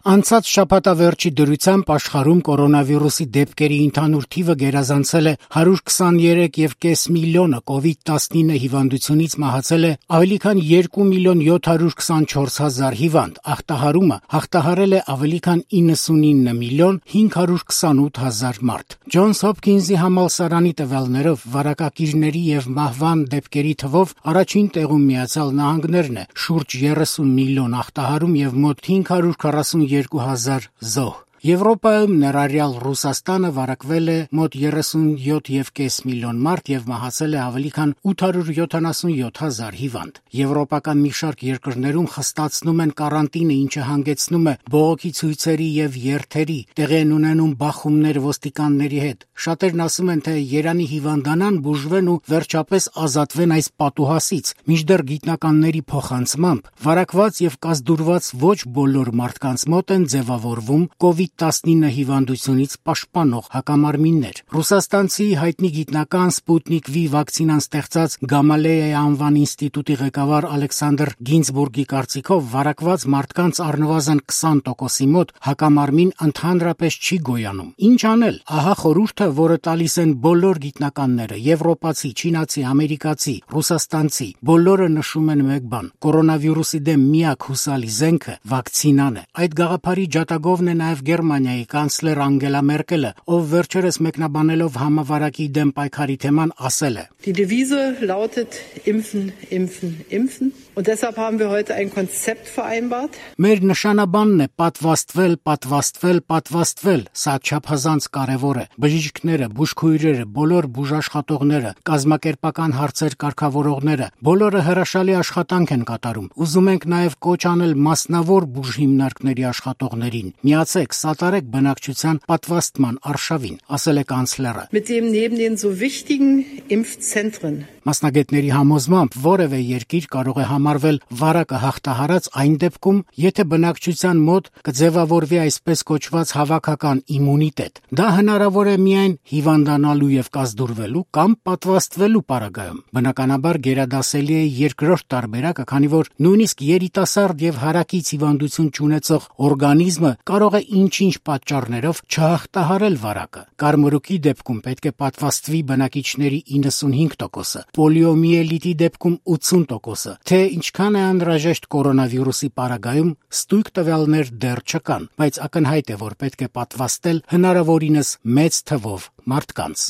Անցած շաբաթավերջի դրությամբ աշխարհում կորոնավիրուսի դեպքերի ընդհանուր թիվը գերազանցել է 123.5 միլիոնը, COVID-19 հիվանդությունից մահացել է ավելի քան 2.724.000 հիվանդ, ախտահարումը հաղթահարել է ավելի քան 99.528.000 մարդ։ Ջոնս Հոփքինզի համալսարանի տվյալներով վարակակիրների եւ մահվան դեպքերի թվով առաջին տեղում Միացյալ Նահանգներն է՝ շուրջ 30 միլիոն ախտահարում եւ մոտ 542.000 զոհ։ Եվրոպայում ներառյալ Ռուսաստանը վարակվել է մոտ 37.5 միլիոն մարդ եւ մահացել է ավելի քան 877.000 հիվանդ։ Եվրոպական մի շարք երկրներում խստացնում են կարանտինը, ինչը հանգեցնում է բողոքի ցույցերի եւ երթերի, տեղի են ունենում բախումներ ոստիկանների հետ։ Շատերն ասում են, թե Երանի հիվանդանան, բուժվեն ու վերջապես ազատվեն այս պատուհասից, մինչդեռ գիտնականների փոխանցմամբ վարակված եւ կազդուրված ոչ բոլոր մարդկանց մոտ են ձևավորվում COVID-19 հիվանդությունից պաշտպանող հակամարմիններ։ Ռուսաստանցի հայտնի գիտնական Sputnik V վակցինան ստեղծած Գամալեյայի անվան ինստիտուտի ղեկավար Ալեքսանդր Գինզբուրգի կարծիքով վարակված մարդկանց առնվազն 20%-ի մոտ հակամարմին ընդհանրապես չի գոյանում։ Ինչ անել։ Ահա խորհուրդը, որը տալիս են բոլոր գիտնականները՝ եվրոպացի, չինացի, ամերիկացի, ռուսաստանցի, բոլորը նշում են մեկ բան՝ կորոնավիրուսի դեմ միակ հուսալի զենքը վակցինան է։ Այդ գաղափարի ջատագովն է նաև Գերմանիայի կանցլեր Անգելա Մերկելը, ով վերջերս մեկնաբանելով համավարակի դեմ պայքարի թեման ասել է. Die Devise lautet impfen, impfen, impfen. Und deshalb haben wir heute ein Konzept vereinbart. Մեր նշանաբանն է պատվաստվել, պատվաստվել, պատվաստվել։ Սա չափազանց կարևոր է։ Բժիշկները, բուժքույրերը, բոլոր բուժաշխատողները, կազմակերպական հարցեր կարգավորողները, բոլորը հրաշալի աշխատանք են կատարում։ Ուզում ենք նաև կոչ անել մասնավոր բուժհիմնարկների աշխատողներին. Միացեք, սատարեք բնակչության պատվաստման արշավին, ասել է կանցլերը։ Mit dem neben den so wichtigen Impfzentren. Մասնագետների համոզմամբ որևէ երկիր կարող է համարվել վարակը հաղթահարած այն դեպքում, եթե բնակչության մոտ կձևավորվի այսպես կոչված հավաքական իմունիտետ։ Դա հնարավոր է միայն հիվանդանալու եւ կազդուրվելու կամ պատվաստվելու պարագայում։ Բնականաբար գերադասելի է երկրորդ տարբերակը, քանի որ նույնիսկ երիտասարդ եւ հարակից հիվանդություն չունեցող օրգանիզմը կարող է ինչ-ինչ պատճառներով չհաղթահարել վարակը։ Կարմրուկի դեպքում պետք է պատվաստվի բնակիչների 95%-ը, պոլիոմիելիտի դեպքում 80%-ը։ Թե ինչքան է անհրաժեշտ կորոնավիրուսի պարագայում, ստույգ տվյալներ դեռ չկան, բայց ակնհայտ է, որ պետք է պատվաստել հնարավորինս մեծ թվով մարդկանց։